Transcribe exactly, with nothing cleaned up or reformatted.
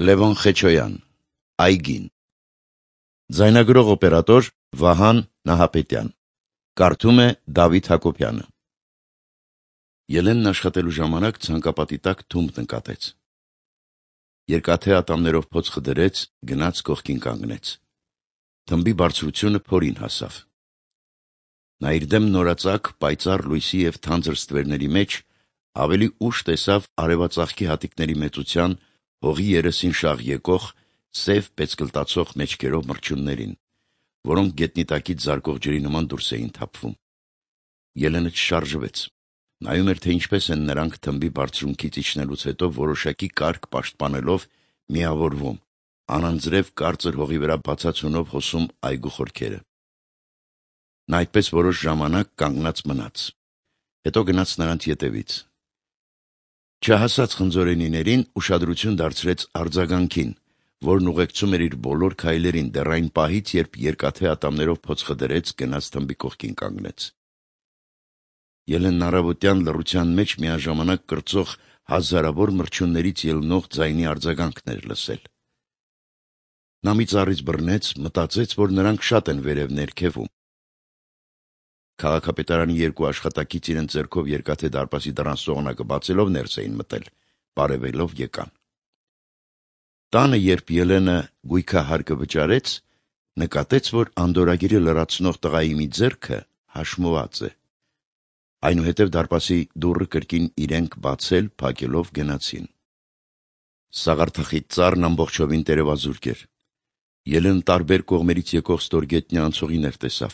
Լևոն Խեչոյան, Այգին։ Ձայնագրող օպերատոր Վահան Նահապետյան։ Կարդում է Դավիթ Հակոբյանը։ Ելենն աշխատելու ժամանակ ցանկապատի տակ թումբ նկատեց։ Երկաթե ատամներով փոց խդրեց, գնաց կողքին կանգնեց։ Թմբի բարձրությունը փորին հասավ։ Նա իր դեմ նորածակ, պայծառ լույսի և թանձր ստվերների մեջ ավելի ուշ տեսավ արևածաղկի հատիկների մեծության, հողի երեսին շաղ եկող, սև պեծկլտացող մեջքերով մրջյուններին, որոնք գետնի տակից զարկող ջրի նման դուրս էին թափվում։ Ելենը չշարժվեց։ Նայում էր, թե ինչպես են նրանք թմբի բարձրունքից իջնելուց հետո որոշակի կարգ պաշտպանելով միավորվում, անանձրև կարծր հողի վրա բացացունով հոսում այգու խորքերը։ Նա այդպես որոշ ժամանակ կանգնած մնաց, հետո գնաց նրանց ետևից։ Չհասած խնձորենիներին ուշադրություն դարձրեց արձագանքին, որն ուղեկցում էր իր բոլոր քայլերին դեռ այն պահից, երբ երկաթե ատամներով փոց խդրեց, գնաց թմբի կողքին կանգնեց։ Ելենն առավոտյան լռության մեջ միաժամանակ կրծող հազարավոր մրջյուններից ելնող ձայնի արձագանքն էր լսել։ Նա մի ծառից բռնեց, մտածեց, որ նրանք շատ են վերև ներքևում։ Քաղաքապետարանի երկու աշխատակից իրենց ձեռքով երկաթե դարպասի դռան սողնակը բացելով ներս էին մտել, բարևելով եկան։ Տանը, երբ Ելենը գույքահարկը վճարեց, նկատեց, որ անդորրագիրը լրացնող տղայի մի ձեռքը հաշմված է։ Այնուհետև դարպասի դուռը կրկին իրենք բացել, փակելով գնացին։ Սաղարթախիտ ծառն ամբողջովին տերևազուրկ էր։ Ելենը տարբեր կողմերից եկող ստորգետնյա անցուղիներ տեսավ։